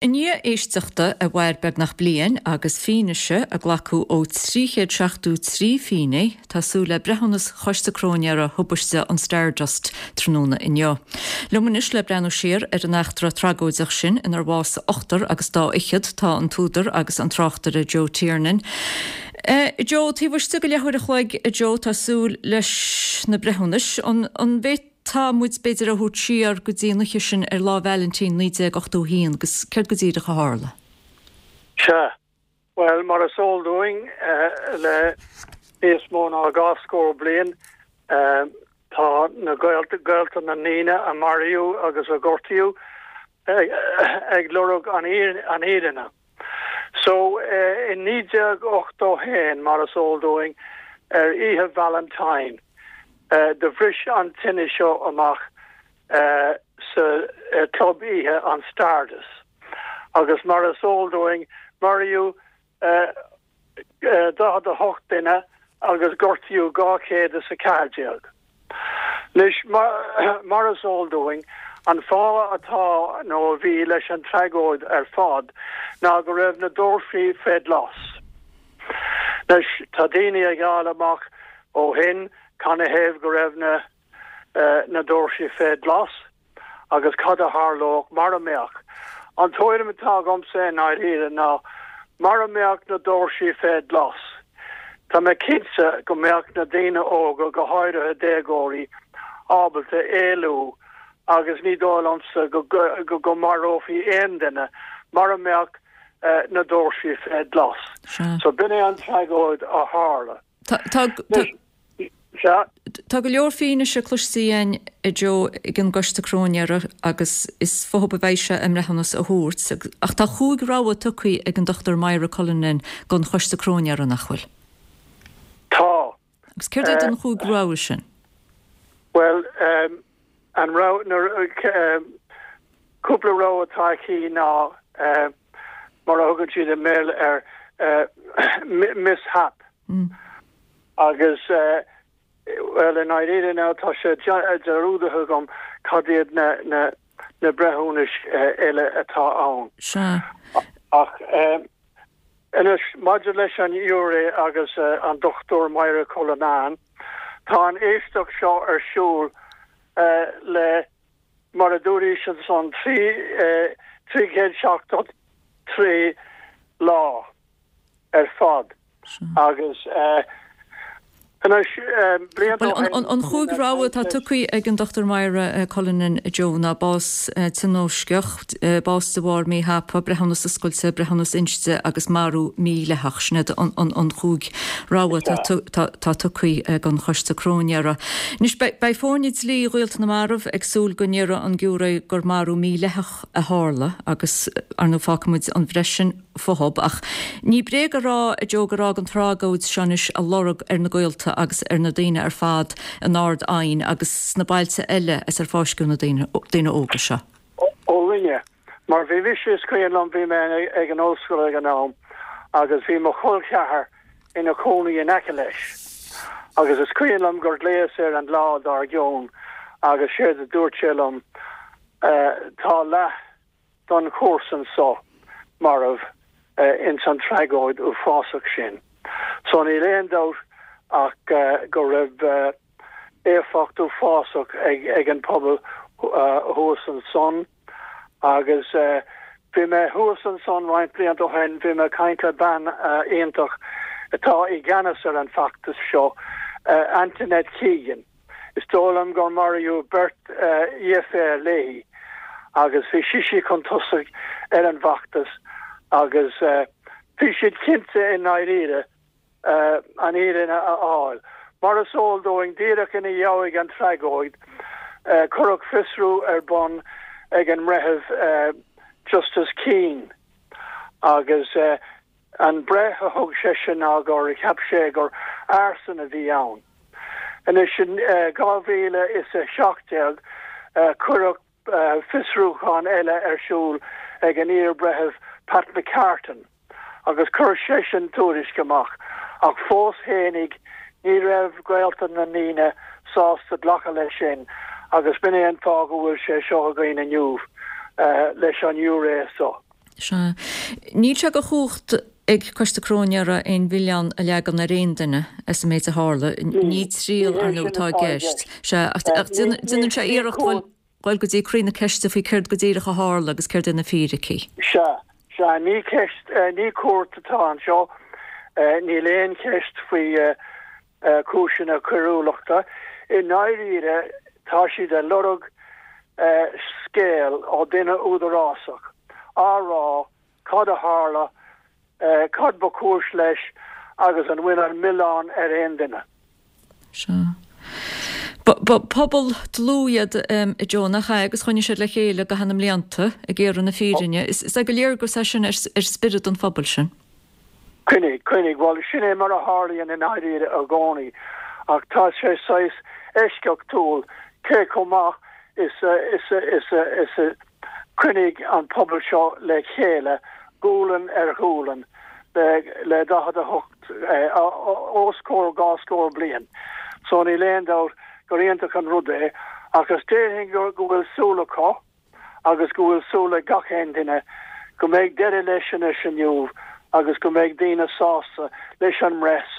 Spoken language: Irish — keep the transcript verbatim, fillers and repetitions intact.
I ndiaidh éisteachta a mhair beagnach bliain agus fianaise a glacadh ó trí chéad seachtó trí fhinné, tá súil le breithiúnas Choiste Cróinéara thubaiste an Stardust tráthnóna inniu. Liom anois le breathnú siar ar an eachtra tragóideach sin inar bhásaigh ochtar agus dá fhichead tá an t-údar agus an tráchtaire Joe Tiernan. Uh, Joe, taobh istigh de leathuair a chloig a Joe tá súil leis na breithiúnais an, an bhféadfá muid b'fhéidir a thabhairt siar go dtí an oíche sin ar Lá Vailintín naoi déag ochtó haon agus céard go díreach a tharla. Sea, well mar is eol dúinn uh, le níos mó ná dhá scór bliain uh, tá na gaolta gaolta na ndaoine a maraíodh agus a gortaíodh ag, ag lorg an an fhírinne. So uh, in naoi déag ochtó haon mar is eol dúinn ar oíche Valentine. Uh, do bhris an tine seo amach uh, sa uh, club oíche an Stardust. Agus mar is eol dúinn maraíodh uh, uh, daichead a hocht duine agus gortaíodh dhá chéad is a ceathair déag. Anois mar, mar is eol dúinn an fáth atá nó a bhí leis an tragóid ar fad ná go raibh na doirsí fé ghlas. Anois tá daoine ag fáil amach ó shin canathaobh go raibh na uh, na doirsí fé ghlas agus cad a tharlódh mura mbeadh. An tuairim atá agamsa i ndáiríre ná mura mbeadh na doirsí fé ghlas. Tá mé cinnte go mbeadh na daoine óga go háirithe déagóirí ábalta éalú agus ní dóigh liomsa go, go, go marófaí aon duine mura mbeadh uh, na doirsí fé ghlas. So b'in é an tragóid a tharla. Tá Tá go leor fianaise cloiste againn a Joe ag an gcoiste cróinéara agus is fúthu a bheidh sé a mbreithiúnas a thabhairt, ach tá chúig rogha tugtha ag an Dochtúir Myra Cullinan don choiste cróinéara nach bhfuil. Tá. Agus céard iad an chúig rogha sin? Well um, an rogha um, cúpla rogha atá aici ná uh, mar a thugann siad i mBéarla ar uh, mishap. Mm. Agus uh, well in ndáiríre ná tá sé dearúdaithe agam cad iad na na na breithiúnais uh, eile atá ann. Sea. Ach um, anois maidir leis an ghiúiré agus uh, an Dochtúir Myra Cullinan, tá an éisteacht seo ar siúl uh, le mar a dúraís ansan trí uh, trí chéad seachtó trí lá ar fad. Agus uh, Anois Well, an chúig rogha atá tugtha ag an Dochtúir Myra Cullinan Joe ná bás tionóisceach, bás de bharr míthapa, breithiúnas oscailte, breithiúnas inste agus marú mídhleathach sin iad an chúig rogha atá tugtha ag an choiste cróinéara. Anois beidh foirne dlí ghaolta na marbh ag súil go ndéarfaidh an giúiré gur marú mídhleathach a tharla agus ar ndóigh fágfaimid an bhreith sin fúthu ach ní bréag a rá a Joe gur fhág an tragóid seo anois a lorg ar na gaolta agus ar na daoine ar fad in Ard Aidhin agus sna bailte eile as ar fáisceadh na daoine óga seo. Ó rinne, mar bhí mise is cuimhin liom bhí mé ag an ollscoil ag an am agus bhí mo chol ceathar ina chónaí in aice leis. Agus is cuimhin liom gur ghlaos air an lá dár gcionn agus séard a dúirt sé liom uh, tá leath don chomharsan so marbh uh, in san tragóid uafásach sin. So níl aon dabht ach uh, go raibh uh, éifeacht uafásach ag, ag an pobal uh, thuas ansan agus uh, bhí mé thuas ansan roinnt blianta ó shin bhí mé ag caint le bean uh, iontach atá i gceannas ar an bhfeachtas seo uh, Antoinette Keegan. Is dóigh liom gur maraíodh beirt uh, dheirféar léi agus bhí sise chun tosaigh ar an bhfeachtas agus uh, bhí siad cinnte i ndáiríre uh, an fhírinne a fháil. Mar is eol dúinn díreach ina dhiaidh an tragóid, uh, cuireadh fiosrú ar bun ag an mbreitheamh uh, Justice Keane agus uh, an breith a thug sé sin ná gur cheap sé gur arson a bhí ann. Anois sin uh, dhá mhíle is a seacht déag uh, cuireadh uh, fiosrúchán eile ar siúl ag an iarbhreitheamh Pat McCartan agus chuir sé sin tuairisc amach ach fós fhéinig ní raibh gaolta na ndaoine sásta glacadh leis sin agus b'in é an fáth go bhfuil sé seo againn inniu uh, leis an ngiúiré so. Sea. Níl sé de chumhacht ag Coiste Cróinéara aon mhilleán a leagan ar aon duine as an méid a tharla. Ní triail, ar ndóigh, atá i gceist. Sea, ach déanann sé iarracht dul go dtí croí na ceiste faoi céard go díreach a tharla agus céard é na fíricí. Sea, sea, ní ceist, ní cúirt atá anseo. Níl aon cheist faoi cúiseanna coiriúlachta. I ndáiríre, tá siad ag lorg scéal ó duine údarásach á rá cad a tharla, cad ba chúis leis agus an bhfuil an milleán ar aon duine. Sea. Ba pobal dlúth iad, a Joe, nach ea, agus choinnigh siad le chéile i gcaitheamh na mblianta ag iarraidh na fírinne. Is é go léir é sin ar spiorad an phobail sin. Coinnigh, coinnigh, bhuel, sin é mar a tharlaíonn i ndáiríre i gcónaí, ach tá sé saghas eisceachtúil cé chomh maith is a, is a, is a, is a choinnigh an pobal seo le chéile, gualainn ar ghualainn, le, le daichead a hocht, os comhair dhá scór bliain. So níl aon dabht gur iontach an rud é, ach is déarfainn go, go bhfuil súil acu agus go bhfuil súil ag gach aon duine go mbeidh deireadh leis anois inniu agus go mbeidh daoine sásta leis an mbreith so.